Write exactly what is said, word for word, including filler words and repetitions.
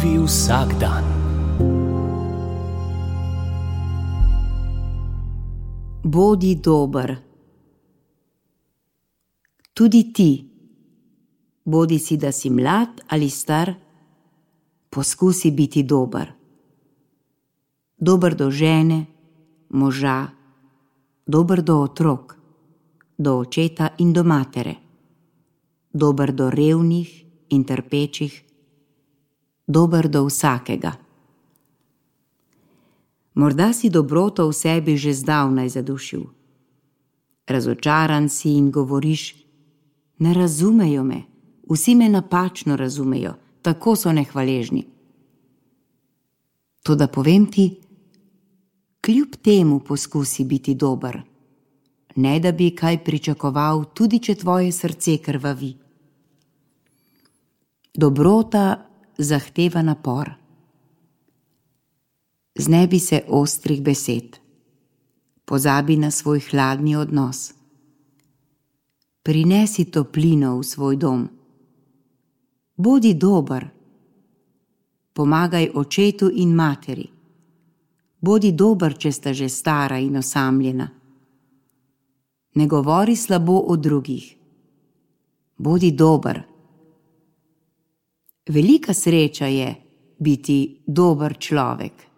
Živi vsak dan. Bodi dober. Tudi ti, bodi si, da si mlad ali star, poskusi biti dober. Dober do žene, moža, dober do otrok, do očeta in do matere, dober do revnih in trpečih, dober do vsakega. Morda si dobroto v sebi že zdavnaj zadušil. Razočaran si in govoriš: ne razumejo me, vsi me napačno razumejo, tako so nehvaležni. Toda povem ti, kljub temu poskusi biti dober, ne da bi kaj pričakoval, tudi če tvoje srce krvavi. Dobrota zahteva napor. Znebi se ostrih besed, pozabi na svoj hladni odnos. Prinesi toplino v svoj dom. Bodi dober. Pomagaj očetu in materi. Bodi dober, če sta že stara in osamljena. Ne govori slabo o drugih. Bodi dober. Velika sreča je biti dober človek.